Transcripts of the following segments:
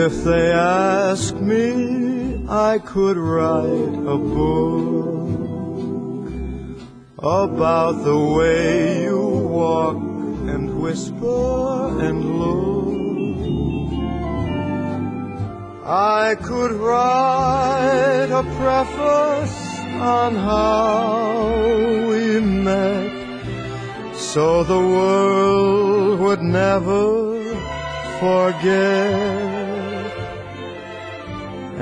If they ask me, I could write a book about the way you walk and whisper and look. I could write a preface on how we met so the world would never forget.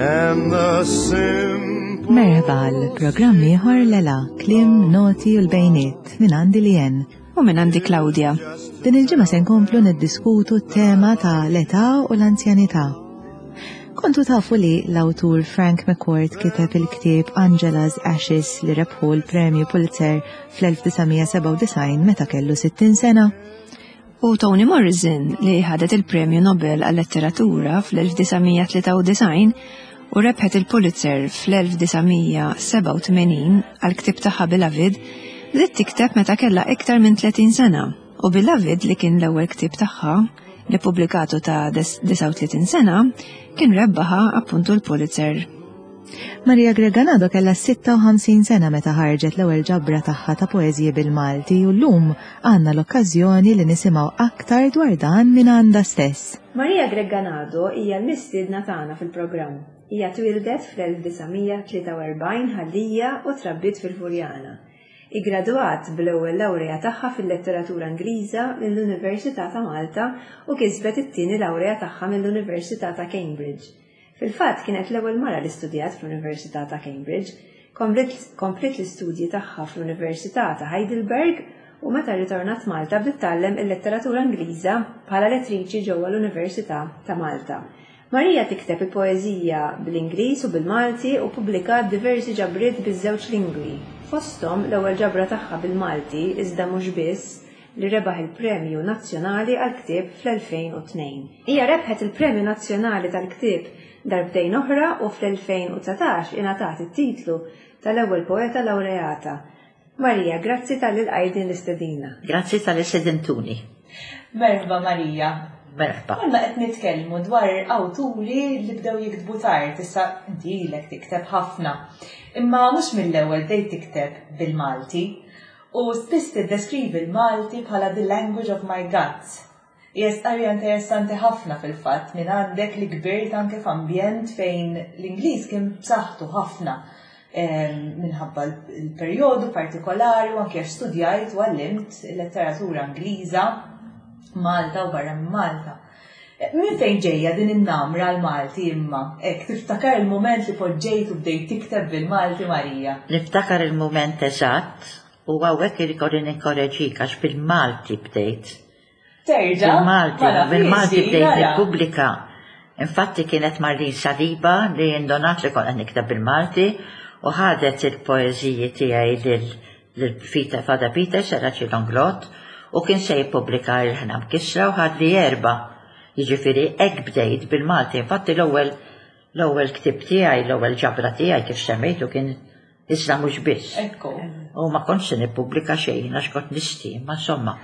And the simple Merħba għal programm ieħor Lela, Klim, Noti u l-Bejniet minn għandi li jen. U minn għandi Claudia. Din il-ġimgħa se nkomplu niddiskutu t-tema ta' l-età u l-anzjanità. Kontu tafu li l-awtur Frank McCourt kiteb il-ktieb Angela's Ashes li rebħu l-Premju Pulitzer fl-1997 meta kellu 60 sena? U Toni Morrison li ħadet il-Premju Nobel għal-Letteratura fl-1993 u rebħet il-Pulitzer fl-1987 għal-ktieb tagħha Beloved, bdiet tikteb meta kellha iktar minn 30 sena u Beloved li kien l-ewwel ktieb tagħha li pubblikatu ta' 39 sena kien rebbaħa appuntu l-Pulitzer. Maria Greganado kellha 56 sena meta ħarġet l-ewwel ġabra tagħha ta' poeżiji bil-Malti u llum għandna l-okkażjoni li nisimgħu aktar dwar dan minn għandha stess. Maria Greganado hija l-mistiedna tagħna fil-programm. Hija twieldet fl-1943 Ħal Lija u trabbiet fil-Furjana. Iggradwat bl-ewwel lawrea tagħha fil-Letteratura Ingliża mill-Università ta' Malta u kisbet it-tieni lawrea tagħha mill-Università ta' Cambridge. Fil-fatt kienet l-ewwel mara li studjat fl-Università ta' Cambridge. Kompliet l-istudji tagħha fl-Università ta' Heidelberg u meta rritornat Malta bdiet tgħallem il-Letteratura Ingliża bħala lettriċi ġewwa l-Università ta' Malta. Maria tikteb il-poeżija bl-Ingliż u bil-Malti u ppubblikat diversi ġabriet biż-żewġ lingwi, fosthom l-ewwel ġabra tagħha bil-Malti iżda mhux biss, li rebaħ il-Premju Nazzjonali għall-Ktieb fl-2002. Hija rebħet il-Premju Nazzjonali tal-Ktieb darbtejn oħra u fl-2019 ingħatat it-titlu tal-ewwel poeta lawreata. Maria, grazzi talli lqajt din l-istedina. Grazzi talli stedintuni. Merħba Maria. Merħba. Konna qed nitkellmu dwar awturi li bdew jiktbu tard, issa inti ilek tikteb ħafna. Imma mhux mill-ewwel bdejt tikteb bil-Malti. U spiss tiddeskrivi l-Malti bħala the language of my guts. Hija stqarrija interessanti ħafna fil-fatt minn għandek li kbirt anke f'ambjent fejn l-Ingliż kien b'saħħtu ħafna ehm, minħabba l-perjodu partikolari u anke għax studjajt u għallimt il-letteratura Ingliża Malta u barra minn Malta. Minn fejn ġejja din in-namra l-Malti imma? Hekk tiftakar il-mument li poġġejt u bdejt tikteb bil-Malti Marija? Niftakar il-mument eżatt u hawnhekk ikolli ninkoreġik għax bil-Malti bdejt. Terġa'? Bil-Malti, bil-Malti bdejt nippubblika. Infatti kienet Marlene Saliba li indonat li kont qed nikteb bil-Malti u ħadet il-poeżiji tiegħi lil lil Father Peter Seraci Longlot u kien se jippubblika Il-Ħna Mkissra u ħadli erbgħa. Jiġifieri hekk bdejt bil-Malti. Infatti l-ewwel l-ewwel ktieb tiegħi, l-ewwel ġabra tiegħi kif semmejtu kien Iżda mhux biss. Ekku. U ma kontx se nippubblika xejn għax kont nisti, ma insomma.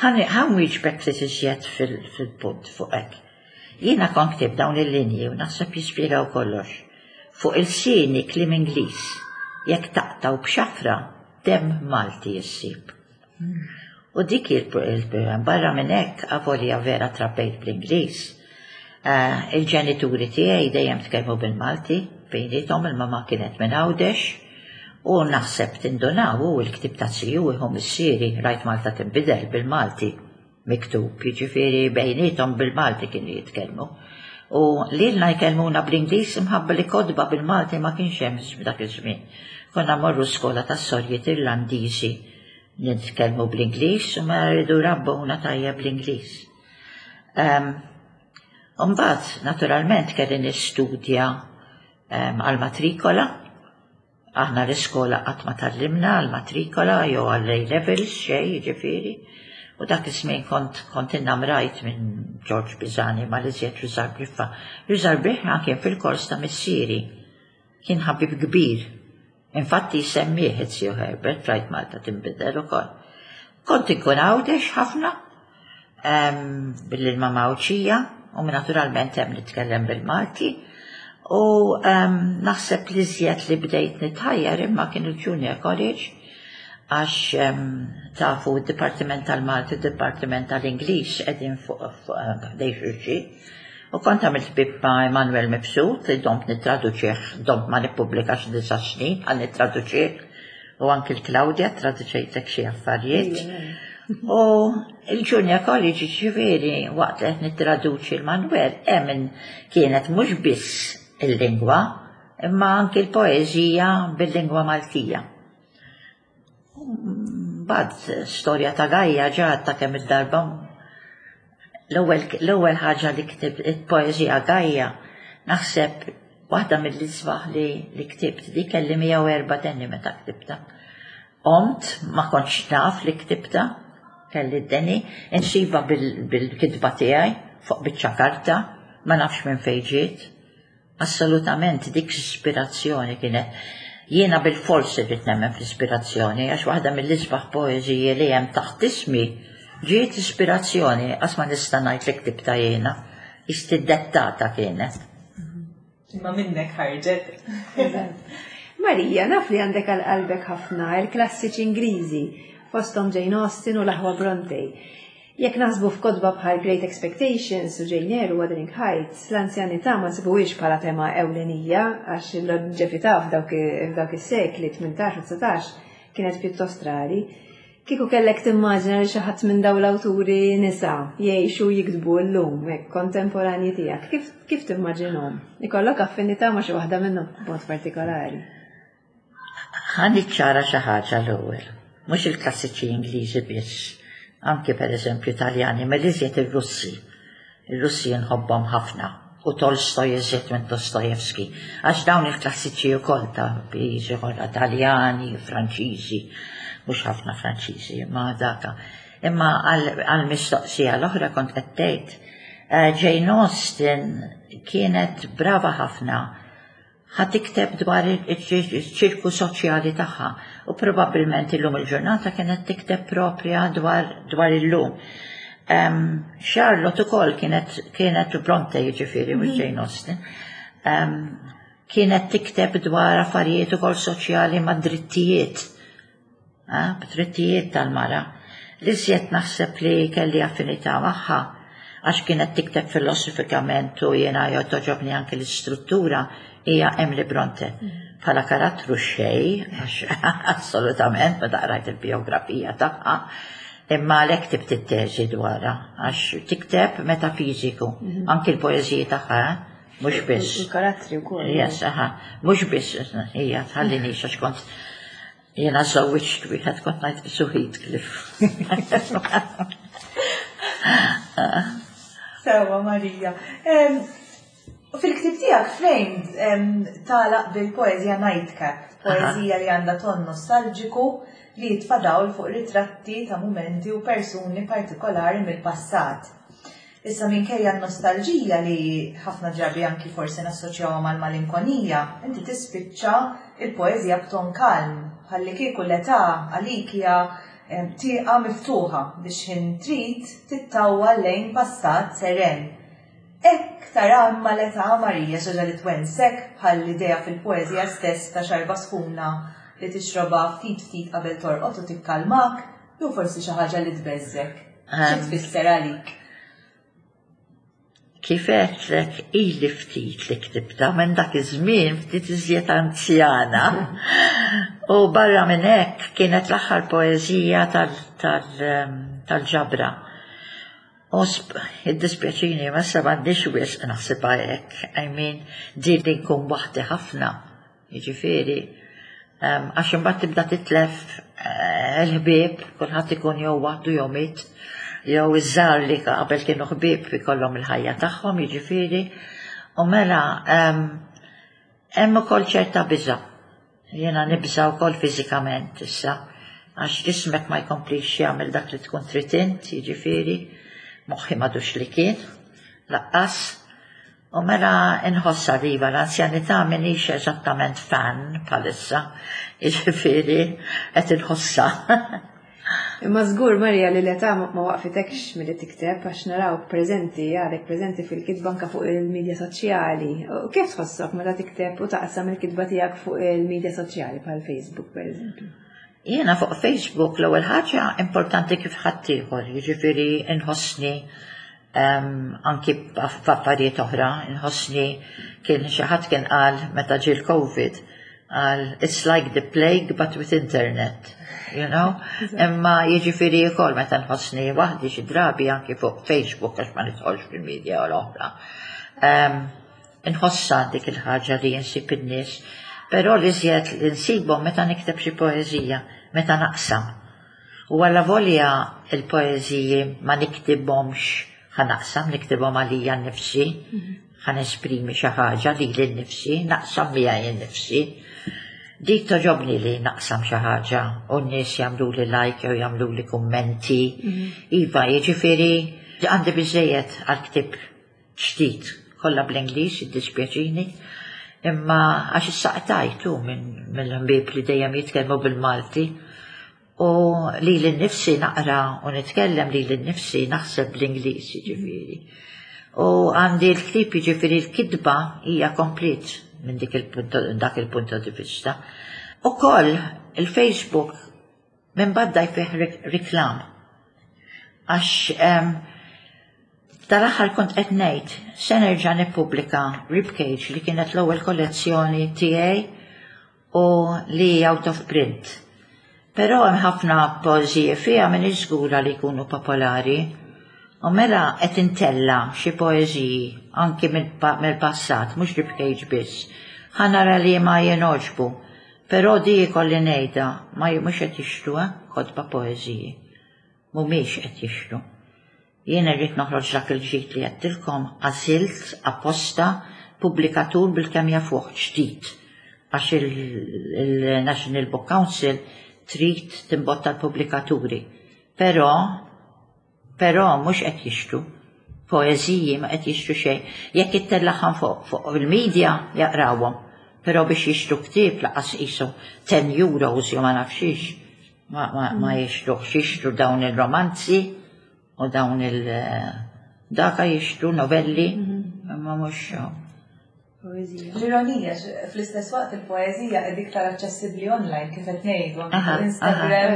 Ħa nwieġbek ftit iżjed fil-punt fuq hekk. Jiena kont ktibt dawn il-linji u naħseb jispjegaw kollox. Fuq ilsieni kliem Ingliż, jekk taqtgħu b'xafra, demm Malti issib. U dik hi l-problema. Barra minn hekk, avolja vera trabbejt bl-Ingliż, eh, il-ġenituri tiegħi dejjem tkellmu bil-Malti bejniethom, il-mama kienet minn Għawdex, u naħseb tindunaw u l-ktieb ta' ziju iħu missieri rajt Malta tinbidel bil-Malti miktub, jiġifieri bejniethom bil-Malti kienu jitkellmu. U lilna jkellmuna bl-Ingliż imħabba li kotba bil-Malti ma kienx hemm dak iż-żmien. Konna morru skola tas-sorjiet Irlandiżi Nitkellmu bl-Ingliż u ma rridu rabbuna tajjeb bl-Ingliż. Ehm, mbagħad, naturalment, kelli nistudja ehm, għal-matrikola. Aħna l-iskola qatt ma tallimna għal-matrikola jew għall-A levels xejn, jiġifieri. U dak iż-żmien kont kont innamrajt minn George Pisani ma l-iżjed Rużar Briffa. Rużar Briffa kien fil-kors ta' missieri. Kien ħabib kbir Infatti jsemmih iz-ziju Herbert rajt Malta tinbidel ukoll. Kont inkun Għawdex ħafna, billi l-mama Għawdxija, U naturalment hemm nitkellem bil-Malti. U naħseb li żjed li bdejt nitħajjar imma kien il-Junior College għax tafu d-Dipartiment tal-Malti u d-Dipartiment tal-Ingliż qegħdin fuq ħdej xulxin. U kont għamilt ħbieb ma' Emanuel Mifsud li domt nittraduċih, domt ma nippubblikax disa' snin għal nittraduċih u anki l-Claudia traduċejtek xi affarijiet. U il-Junior College ġifieri waqt li qed nittraduċi l-Manuel hemm kienet mhux biss il-lingwa imma anki l-poeżija bil-lingwa Maltija. Mbagħad storja ta' Gajja ġa ta' kemm il-darba l-ewwel ħaġa li ktib il-poeżija Gajja naħseb waħda mill-isbaħ li, li ktibt di kelli 104 tenni meta ktibta. Qomt ma kontx naf li ktibta, kelli d-deni, insiba bil-kitba tiegħi fuq biċċa karta, ma nafx minn fejn ġiet. Assolutament dik ispirazzjoni kienet. Jiena bilfors irrid nemmen fl-ispirazzjoni għax waħda mill-isbaħ poeżiji li hemm taħt ismi ġiet ispirazzjoni qas ma nista' ngħid li ktibtha jiena. Istidettata kienet. Imma minnek ħarġet. Marija, naf li għandek għal qalbek ħafna il-klassiċi Ingliżi, fosthom Jane Austen u l-aħwa Bronte. Jekk naħsbu f'kotba bħal Great Expectations u Jane Eyre u Wuthering Heights, l-anzjanità ma nsibuhiex bħala tema ewlenija għax il-lonġevità f'dawk is-sekli 18 u 19 kienet pjuttost rari. Kieku kellek timmaġina li xi ħadd minn dawn l-awturi nisa jgħixu u jiktbu llum, hekk kontemporanji tiegħek, kif, kif timmaġinhom? Ikollok affinità ma' xi waħda minnhom b'mod partikolari? Ħa niċċara xi ħaġa l-ewwel. Mhux il-klassiċi Ingliżi biss, anki pereżempju Taljani, imma l-iżjed ir-Russi. Ir-Russi nħobbhom ħafna u Tolstoj iżjed minn Dostojevski, għax dawn il-klassiċi wkoll ta' pajjiżi oħra, Taljani, Franċiżi, mhux ħafna Franċiżi, imma daka. Imma għall-mistoqsija l-oħra kont qed tgħid, eh, Jane Austen kienet brava ħafna Ħa tikteb dwar iċ-ċirku soċjali tagħha u probabbilment illum il-ġurnata kienet tikteb proprja dwar, dwar illum. Um, Charlotte ukoll kienet kienet Bronte jiġifieri mhux mhm. Jane Austen. Um, kienet tikteb dwar affarijiet ukoll soċjali ma' drittijiet b'drittijiet tal-mara. L-iżjed naħseb li kelli affinità magħha għax kienet tikteb filosofikament u jiena togħġobni anke l-istruttura hija Emily Bronte. Bħala karattru xej, għax assolutament meta qrajt il-biografija tagħha, imma għalhekk ktibt it-teżi dwarha għax tikteb metafiżiku, mhm. anke l-poeżiji tagħha, eh? mhux biss. Il-karattri wkoll. Yes, aha, mhux biss, hija tħallini għax kont Jiena żewwiġt wieħed kont ngħid qisu Heathcliff. Sewa Marija. Fil-ktib tiegħek Framed tagħlaq bil-poeżija Nightcap, poeżija li għandha ton nostalġiku li jitfa' dawl fuq ritratti ta' mumenti u persuni partikolari mill-passat. Issa minkejja n-nostalġija li ħafna drabi anki forsi nassoċjawha mal-malinkonija, inti tispiċċa l-poeżija b'ton kalm, bħallikieku l-età għalik hija tieqa miftuħa biex x'ħin trid tittawwal lejn passat seren. Hekk taraha imma l-età, Marija, xi ħaġa li twensek, bħall-idea fil-poeżija stess ta' xarba sħuna li tixrobha ftit ftit qabel torqod u tikkalmak, jew forsi xi ħaġa li tbeżżgħek? Xi tfisser għalik? Kif għedtlek ili ftit li ktibta minn dak iż-żmien ftit iżjed anzjana. U barra minn hekk kienet l-aħħar poeżija tal-ġabra. U iddispjaċini ma issa m'għandix wisq naħsibha hekk. I mean, din li nkun waħdi ħafna. Jiġifieri, għax imbagħad tibda titlef eh, il-ħbieb, kulħadd ikun jew waħdu jew miet, jew iż-żgħar li qabel kienu ħbieb ikollhom il-ħajja tagħhom, jiġifieri. U mela hemm ukoll ċerta biża'. Jiena nibża' wkoll fiżikament issa, għax ġismek ma jkomplix jagħmel dak li tkun trid int, jiġifieri, moħħi m'għadux li kien, laqqas. U mela inħossha li iva l-anzjanità m'iniex eżattament fan bħalissa, jiġifieri qed inħossha. Imma żgur Marija li l-età ma waqfitekx milli tikteb għax narawk preżenti, għadek preżenti fil-kitba anke fuq il-midja soċjali. U kif tħossok meta tikteb u taqsam il-kitba tiegħek fuq il-midja soċjali bħal Facebook pereżempju? Jiena fuq Facebook l-ewwel ħaġa importanti kif ħaddieħor, jiġifieri nħossni anki f'affarijiet oħra, nħossni kien xi ħadd kien qal meta ġie l-Covid, qal it's like the plague but with internet, you know? Imma jiġifieri wkoll meta nħossni waħdi xi drabi anki fuq Facebook għax ma nidħolx fil-media l-oħra. Nħossha dik il-ħaġa li insib in-nies, però li żjed li nsibhom meta nikteb xi poeżija, meta naqsam. U allavolja l-poeżiji ma niktibhomx ħa naqsam, niktibhom għalija nnifsi, ħa nesprimi xi ħaġa lili nnifsi, naqsam miegħi nnifsi. Dik toġobni li naqsam xi ħaġa u n-nies jagħmluli like jew jagħmluli kummenti. Iva, jiġifieri għandi biżejjed għal ktieb ġdid, kollha bl-Ingliż, iddispjaċini, imma għax issa qtajtu mill-ħbieb li dejjem jitkellmu bil-Malti u lili nnifsi naqra u nitkellem lili nnifsi naħseb bl-Ingliż jiġifieri. U għandi l-ktieb jiġifieri l-kitba hija komplet minn dik dak il-punt di vista. Ukoll il-Facebook minn badda jfih riklam. Għax tal-aħħar kont qed ngħid se nerġa' nippubblika Ribcage li kienet l-ewwel kollezzjoni tiegħi u li out of print. Però hemm ħafna poeżiji fiha m'iniex żgura li jkunu popolari. U mela qed intella' xi poeżiji anki mill-passat, mhux Ribcage biss. Ħa nara liema jingħoġbu. Però di jkolli ngħidha, ma mhux qed jixtru eh, kotba poeżiji. Mhumiex qed jixtru. Jien irrid noħroġ dak il-ġdid li għedtilkom, għażilt apposta pubblikatur bilkemm jafuh ġdid għax il-National Book Council trid timbotta l-pubblikaturi. Però Però mhux qed jixtru. Poeżiji ma qed jixtru xejn. Jekk ittellagħhom fuq fuq il-media jaqrawhom. Però biex jixtru ktieb laqas qisu 10 euros jew ma nafx xiex. Ma, ma, ma jixtruhx, jixtru dawn il-romanzi u dawn il daka jixtru novelli, imma mhux Poeżija. L-ironija, fl-istess waqt il-poeżija qed iktar aċċessibbli online kif qed ngħidu anke Instagram.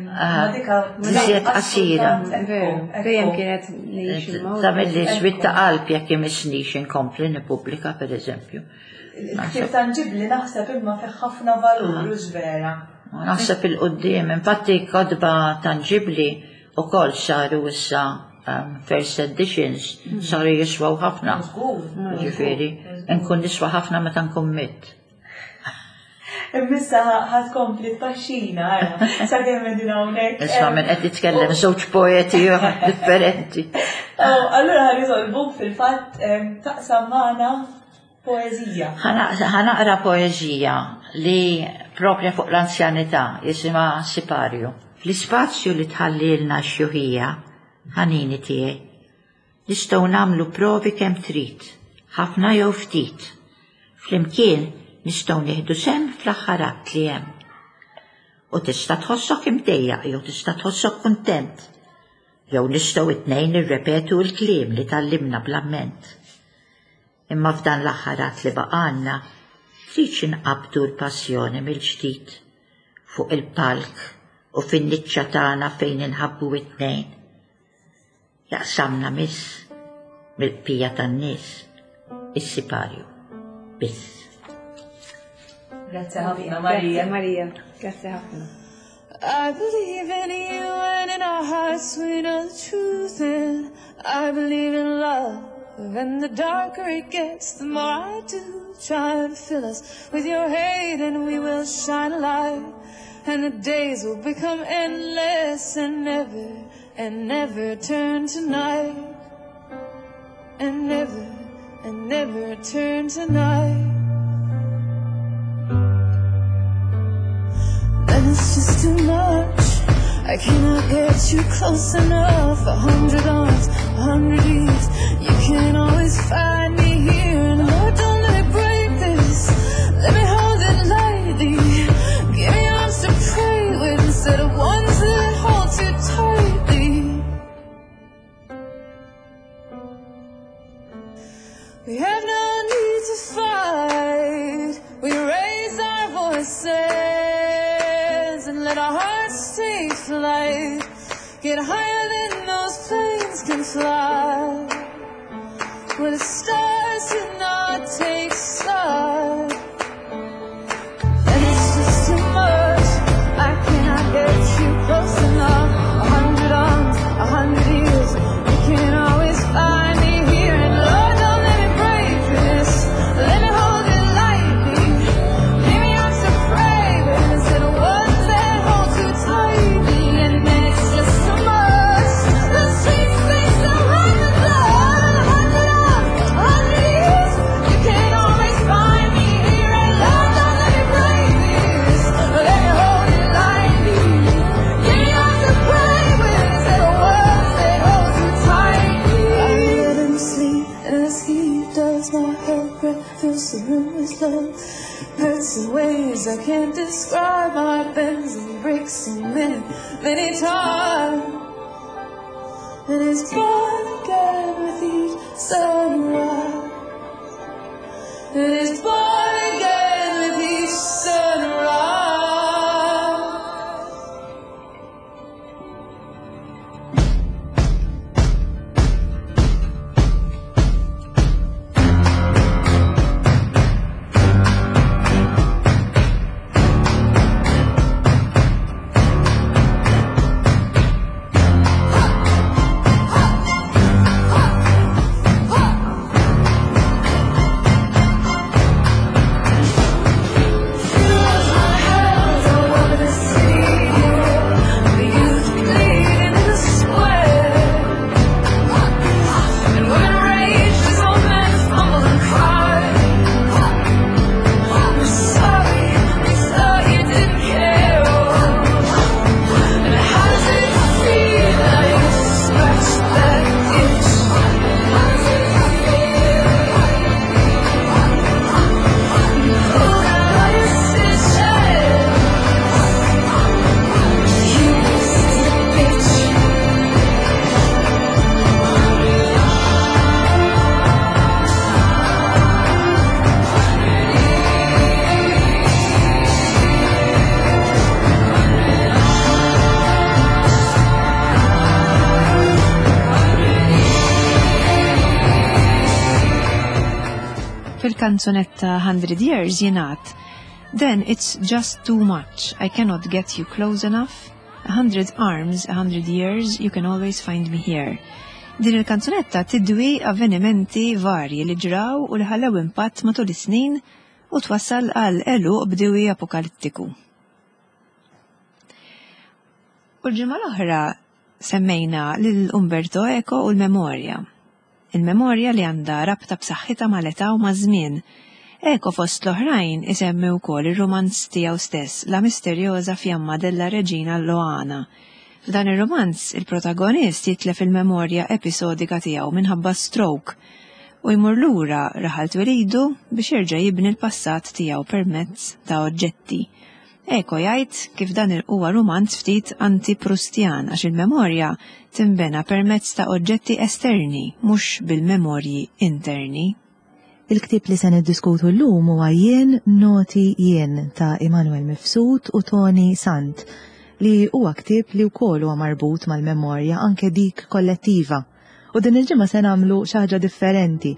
Ma dika Iżjed qasira. Dejjem kienet ngħix Tagħmilli swit ta' qalb jekk imissnix inkompli nippubblika pereżempju. Il-ktieb tanġibbli naħseb imma fih ħafna valur u vera. Naħseb il-qudiem, infatti kotba tanġibbli ukoll saru issa first editions saru jiswaw ħafna. Ġifieri, nkun niswa ħafna meta nkun mitt. Immissa ħad kompli tpaxxina, ara, sakemm qegħdin hawnhekk. Isma' minn qed jitkellem żewġ poeti differenti. Allura ħa nitolbuk fil-fatt taqsam magħna poeżija. Ħa naqra poeżija li propja fuq l-anzjanità jisimha Siparju. Fl-ispazju li tħallilna x-xjuħija, ħanini tiegħi, nistgħu nagħmlu provi kemm trid, ħafna jew ftit. Flimkien nistgħu nieħdu sehem fl-aħħar att li hemm. U tista' tħossok imdejjaq jew tista' tħossok kuntent. Jew nistgħu it-tnejn nirrepetu l-kliem li tgħallimna bl-amment. Imma f'dan l-aħħar att li baqgħalna, tridx inqabbdu l-passjoni mill-ġdid fuq il-palk u fin-niċċa tagħna fejn inħabbu it-tnejn. Jaqsamna miss mill-bqija tan-nies is-siparju biss. Grazzi ħafna Marija. Marija, grazzi ħafna. I believe in you and in our hearts we know the truth and I believe in love and the darker it gets the more I do try and fill us with your hate and we will shine a light and the days will become endless and never and never turn to night and never and never turn to night Then it's just too much I cannot get you close enough 100 arms, 100 years You can always find me here And Lord, don't let me break this Let me hold it lightly Give me arms to pray with Instead of ones that We have no need to fight. We raise our voices and let our hearts take flight. Get higher than those planes can fly. Where the stars do not take sides. And it's just too much. I cannot get you close enough. 100 arms, 100 years. You can always find me here. And Lord, don't let me break this. Let me hold it lightly. Give me arms to pray with instead of ones that hold too tightly. And then it's just too much. The streets they so hard with love. 100 arms, 100 years. You can always find me here. And Lord, don't let me break this. Let me hold it lightly. Give me arms to pray with instead of words that hold too tightly. I let him sleep as he does. My her breath fills the room with love. Hurts in ways I can't describe. My bends and breaks so many, many times. And it's born again with each sunrise. And it's born again with each sunrise. Fil-kanzunetta 100 Years jingħad Then it's just too much, I cannot get you close enough. 100 arms, 100 years, you can always find me here. Din il-kanzunetta tidwi avvenimenti varji li ġraw u li ħallew impatt matul is-snin u twassal għal għeluq b'diwi apokalittiku. U l-ġimgħa l-oħra semmejna lil Umberto Eco u l-memorja. Il-memorja li għandha rabta b'saħħitha mal-età u maż-żmien. Eco fost l-oħrajn isemmi wkoll ir-rumanz tiegħu stess, La misteriosa fiamma della regina Loana. F'dan ir-rumanz, il-protagonist jitlef il-memorja episodika tiegħu minħabba stroke u jmur lura raħal twelidu biex jerġa' jibni l-passat tiegħu permezz ta' oġġetti. Eco jgħid kif dan huwa rumanz ftit anti-Prustjan għax il-memorja tinbena permezz ta' oġġetti esterni mhux bil-memorji interni. Il-ktieb li se niddiskutu llum huwa Jien Noti Jien ta' Immanuel Mifsud u Toni Sant, li huwa ktieb li wkoll huwa marbut mal-memorja anke dik kollettiva. U din il-ġimgħa se nagħmlu xi ħaġa differenti.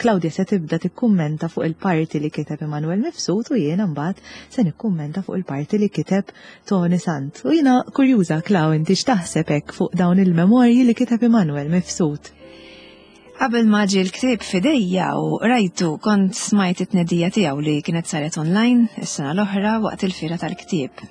Claudia se tibda tikkummenta fuq il-parti li kiteb Immanuel Mifsud u jiena mbagħad se nikkummenta fuq il-parti li kiteb Toni Sant. U jiena kurjuża, Clau, inti x'taħseb hekk fuq dawn il-memorji li kiteb Immanuel Mifsud? Qabel ma ġie l-ktieb f'idejja u qrajtu kont smajt it-tnedija tiegħu li kienet saret online is-sena l-oħra waqt il-fiera tal-ktieb.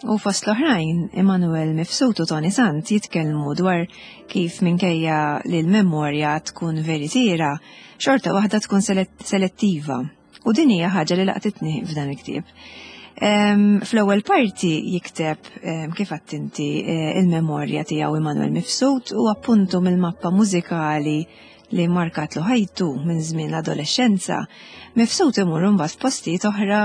U fost l-oħrajn, Immanuel Mifsud u Toni Sant jitkellmu dwar kif minkejja li l-memorja tkun veritiera, xorta waħda tkun selettiva. U din hija ħaġa li laqtitni f'dan il-ktieb. Fl-ewwel parti jikteb kif għedt inti il-memorja tiegħu Immanuel Mifsud u appuntu mill-mappa mużikali li markatlu ħajtu minn żmien l-adolescenza, Mifsud imur imbagħad f'postijiet oħra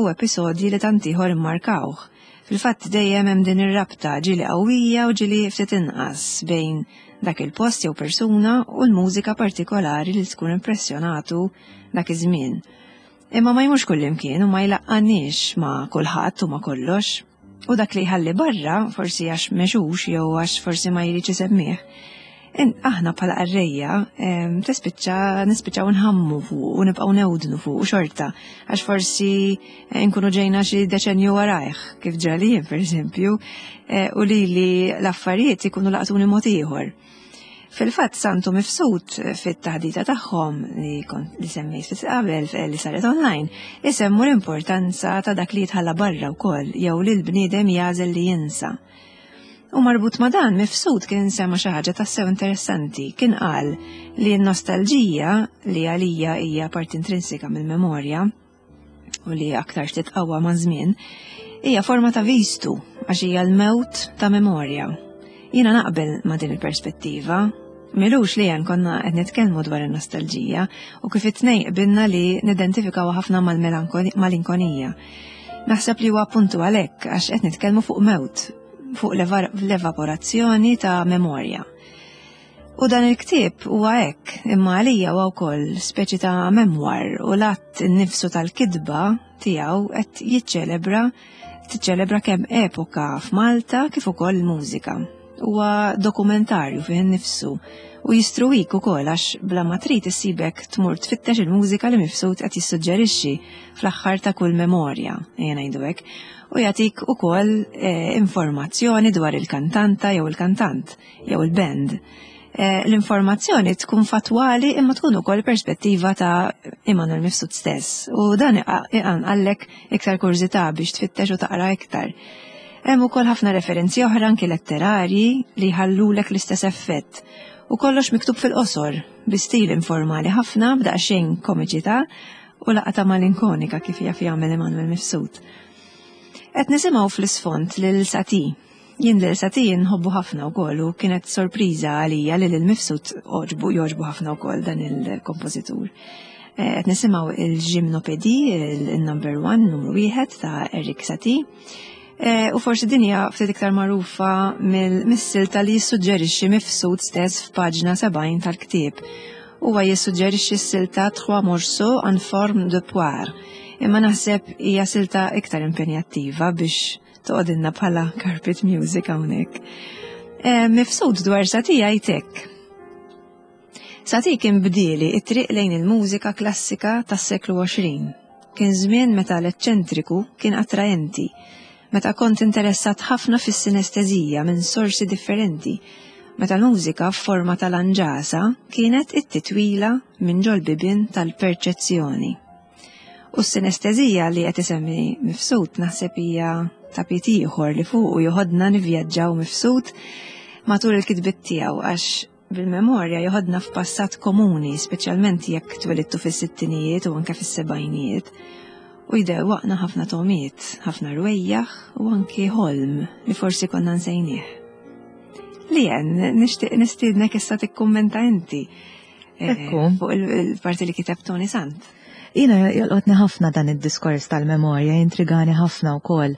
u episodji li tant ieħor immarkawh. Fil-fatt dejjem hemm din ir-rabta ġieli qawwija u ġieli ftit inqas bejn dak il-post jew persuna u l-mużika partikolari li tkun impressjonatu dak iż-żmien. Imma ma jmurx kullimkien u ma jlaqqaniex ma' kulħadd u ma' kollox. U dak li jħalli barra, forsi għax mexux jew għax forsi ma jridx isemmih, aħna bħala qarrejja tispiċċa nispiċċaw nħammu fuq u nibqgħu newdnu fuq u xorta għax forsi eh, nkunu ġejna xi deċenju warajh kif ġrali jien pereżempju eh, u li li l-affarijiet ikunu laqtuni mod ieħor. Fil-fatt Santu Mifsud fit-taħdita tagħhom li kont li semmejt ftit qabel eh, li saret online, isemmu l-importanza ta' dak li jitħalla barra wkoll jew li l-bniedem jagħżel li jinsa. U marbut ma' dan Mifsud kien sema xi ħaġa tassew interessanti, kien qal li n-nostalġija li għalija hija parti intrinsika mill-memorja, u li aktar titqawwa ma' żmien, hija forma ta' vistu għax hija l-mewt ta' memorja. Jiena naqbel ma' din il-perspettiva. Milux li jen konna qed nitkellmu dwar in-nostalġija u kif it-tnejn qbilna li nidentifikaw ħafna mal-malinkonija. Naħseb li huwa appuntu għalhekk għax qed nitkellmu fuq mewt, fuq l-evaporazzjoni ta' memorja. U dan il-ktieb huwa hekk, imma għalija huwa wkoll speċi ta' memoir u l-att innifsu tal-kitba tiegħu qed jiċċelebra tiċċelebra kemm epoka f'Malta kif ukoll il-mużika. Huwa dokumentarju fih innifsu u jistruwik ukoll għax bla ma trid issibek tmur tfittex il-mużika li Mifsud qed jissuġġerixxi fl-aħħar ta' kull memorja, ejja ngħidu hekk, u jagħtik ukoll eh, informazzjoni dwar il-kantanta jew il-kantant. jew il-band. Eh, l-informazzjoni tkun fatwali imma tkun ukoll perspettiva ta' Immanuel Mifsud stess u dan iqanqallek iktar kurżità biex tfittex u taqra iktar. Hemm ukoll ħafna referenzi oħra anki letterarji li jħallulek l-istess effett u kollox miktub fil-qosor bi stil informali ħafna b'daqsxejn komiċità u laqta malinkonika kif jaf jagħmel Immanuel Mifsud. Qed nisimgħu fl-isfond lil Sati Jien lil Satie nħobbu ħafna wkoll u kienet sorpriża għalija li lil Mifsud għoġbu jogħġbu ħafna wkoll dan il-kompożitur. Eh, qed nisimgħu il-Gymnopédie, il-number one, numru wieħed ta' Eric Satie. Eh, u forsi din hija ftit iktar magħrufa mill-silta li jissuġġerixxi Mifsud stess f'paġna 70 tal-ktieb. Huwa jissuġġerixxi s-silta Trois morceaux en forme de poire. Imma naħseb hija silta iktar impenjattiva biex Toqgħodilna bħala carpet music hawnhekk. Eh, mifsud dwar Satija jtek. Sati kien bdieli it-triq lejn il-mużika klassika tas-seklu 20. Kien żmien meta l-eċċentriku kien attraenti, meta kont interessat ħafna fis-sinestezija minn sorsi differenti, meta l-mużika f'forma tal-anġasa kienet it-titwila minn ġol-bibien tal-perċezzjoni. U s-sinestezija li qed isemmi Mifsud naħseb hija tapit ieħor li fuqu joħodna nivvjaġġaw Mifsud matul il-kitbiet tiegħu għax bil-memorja joħodna f'passat komuni, speċjalment jekk twelidtu fis-sittinijiet u anke fis-sebgħinijiet, u jdewwaqna ħafna togħmiet, ħafna rwejjaħ u anki ħolm li forsi konna nsejnieh. Lien, nixtieq nistiednek issa tikkummenta inti. Eh, Ekku. Fuq il-parti li kiteb Tony Sant. Jina jolqotni ħafna dan id-diskors tal-memorja, jintrigani ħafna wkoll.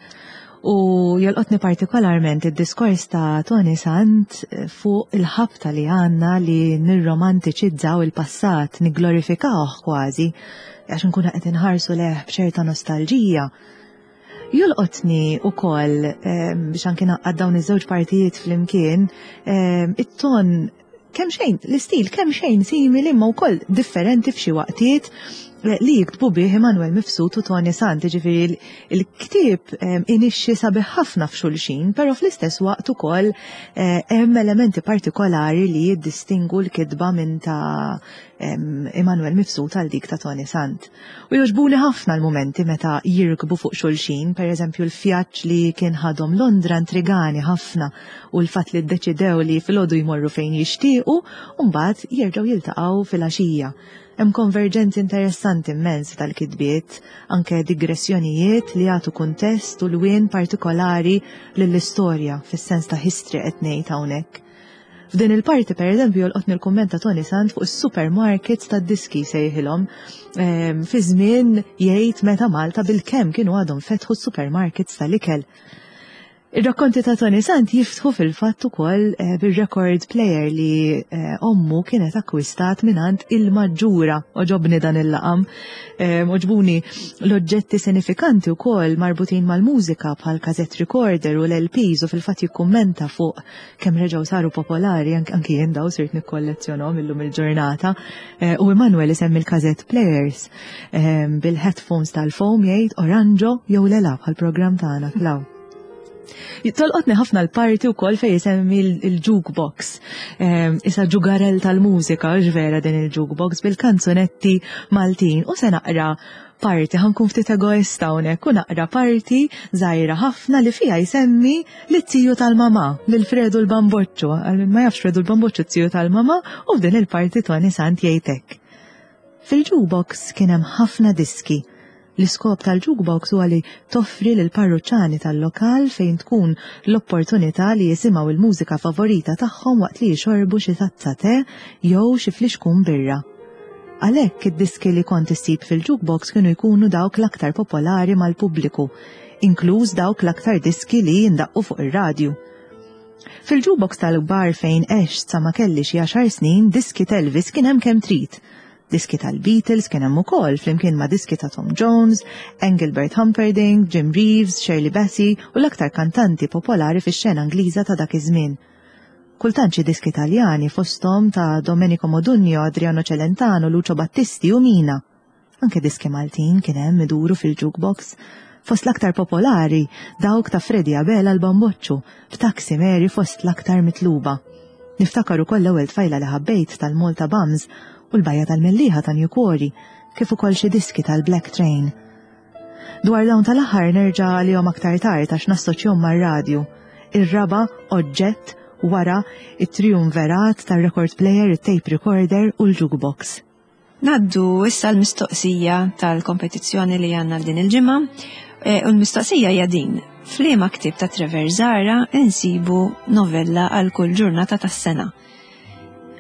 U jolqotni partikolarment id-diskors ta' Tony Sant eh, fuq il-ħabta li għanna li nirromantiċizzaw il-passat, nigglorifikawh kważi, għax nkunu qed inħarsu leħ b'ċerta nostalġija. Jolqotni wkoll eh, biex anki naqqad dawn iż-żewġ partijiet flimkien, it-ton kemm xejn, l-istil kemm xejn simili imma wkoll differenti f'xi waqtiet eh, li jiktbu bih Emanuel Mifsud u Tony Sant, ġifieri il-ktieb eh, inixxi sabiħ ħafna f'xulxin, però fl-istess waqt ukoll eh, hemm elementi partikolari li jiddistingu l-kitba minn ta' Emanuel Mifsud għal dik ta' Tony Sant. U jogħġbuni ħafna l-mumenti meta jirkbu fuq xulxin, per eżempju l-fjaġġ li kien ħadhom Londra intrigani ħafna u l-fatt li ddeċidew li filgħodu jmorru fejn jixtiequ u mbagħad jerġgħu jiltaqgħu filgħaxija. Hemm konverġenzi interessanti immens tal-kitbiet, anke digressjonijiet li jagħtu kuntest u lwien partikolari lill-istorja fis-sens ta' history qed ngħid hawnhekk. F'din il-parti per eżempju jolqotni l-kumment ta' Tony Sant fuq is-supermarkets tad-diski sejħilhom ehm, fi żmien jgħid meta Malta bil-kemm kienu għadhom fetħu s-supermarkets tal-ikel. Ir-rakkonti ta' Tony Sant jiftħu fil-fatt ukoll eh, bir-record player li eh, ommu kienet akkwistat mingħand il-maġġura. Oġobni dan il-laqam. Eh, oġbuni l-oġġetti sinifikanti wkoll marbutin mal-mużika bħal cassette recorder u l-LPs u fil-fatt jikkummenta fuq kemm reġgħu saru popolari anki jien daw sirt nikkollezzjonhom illum il-ġurnata. U Emanuel isemmi l-cassette players bil-headphones tal-foam jgħid oranġo jew lela bħal-programm tagħna Klaw. Tolqotni ħafna l-parti wkoll fejn isemmi l-jukebox. Ehm, isa ġugarel tal-mużika, vera din il-jukebox bil-kanzunetti Maltin. U se naqra parti, ħankun ftit egoista hawnhekk u naqra parti żgħira ħafna li fiha jsemmi li tiju tal-mama, lil Fredu l-Bamboċċu. Ma jafx Fredu l-Bamboċċu tiju tal-mama u f'din il-parti Tony Sant jgħidek. Fil-jukebox kien hemm ħafna diski. L-iskop tal-jukebox huwa li toffri lill-parruċċani tal-lokal fejn tkun l-opportunità li jisimgħu l-mużika favorita tagħhom waqt li jixorbu xi tazza te jew xi flixkun birra. Għalhekk id-diski li kont issib fil-jukebox kienu jkunu dawk l-aktar popolari mal-pubbliku, inkluż dawk l-aktar diski li jindaqqu fuq ir-radju. Fil-jukebox tal-bar fejn għext sa ma kelli xi għaxar snin diski t'Elvis kien hemm kemm trid. Diski tal-Beatles kien hemm ukoll flimkien ma' diski ta' Tom Jones, Engelbert Humperdinck, Jim Reeves, Shirley Bassey u l-aktar kantanti popolari fix-xena Ingliża ta' dak iż-żmien. Kultant xi diski Taljani fosthom ta' Domenico Modugno, Adriano Celentano, Lucio Battisti u Mina. Anke diski Maltin kien hemm iduru fil-jukebox. Fost l-aktar popolari, dawk ta' Freddie Abela l-Bamboċċu, b'Taxi Mary fost l-aktar mitluba. Niftakar ukoll l-ewwel tfajla li ħabbejt tal-Malta Bums u l-Bajja tal-Mellieħa ta' New Quarry, kif ukoll xi diski tal-Black Train. Dwar dawn tal-aħħar nerġa' għalihom aktar tard għax nassoċjhom mar-radju. Ir-raba' oġġett wara it-triumverat tar-record player, it-tape recorder u l-jukebox. Ngħaddu issa l-mistoqsija tal-kompetizzjoni li għandna din il-ġimgħa e, u l-mistoqsija hija din. F'liema ktieb ta' Trevor Zara insibu novella għal kull ġurnata tas-sena.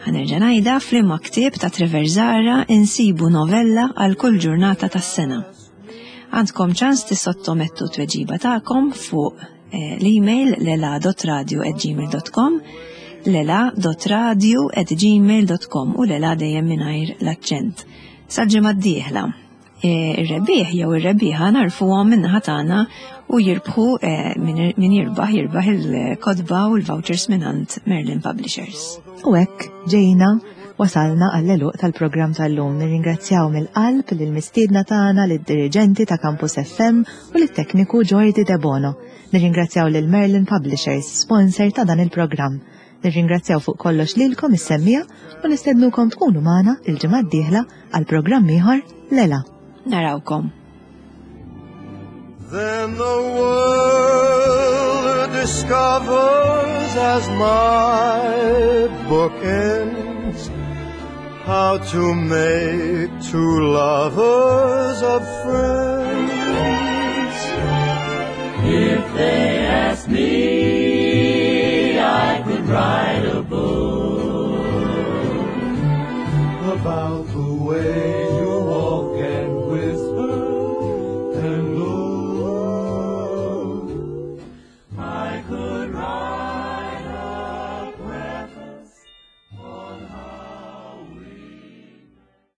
Ħanerġa' ngħidha f'liema ktieb ta' Trevor Zara insibu novella għal kull ġurnata tas-sena. Għandkom ċans tissottomettu tweġiba tagħkom fuq Eh, l-email lela.radio@gmail.com lela.radio@gmail.com u lela dejjem mingħajr l-aċċent. Sal-ġimgħa d-dieħla. Eh, ir-rebbieħ jew ir-rebbieħa narfuhom min-naħa tagħna u jirbħu eh, min jirbaħ jirbaħ il-kotba u l-vouchers mingħand Merlin Publishers. U hekk ġejna wasalna għall-eluq tal-programm tal-lum. Nirringrazzjaw mill-qalb lill-mistiedna tagħna, lid-diriġenti ta' Campus FM u lit-tekniku Jordi Debono. Nirringrazzjaw lil Merlin Publishers, sponsor ta' dan il-programm. Nirringrazzjaw fuq kollox lilkom is-semmiegħa u nistednukom tkunu magħna il-ġimgħa d-dieħla għal programm ieħor Lela. Narawkom. Then the world discovers as my book ends how to make two lovers of friends. If they asked me, I could write a book about the way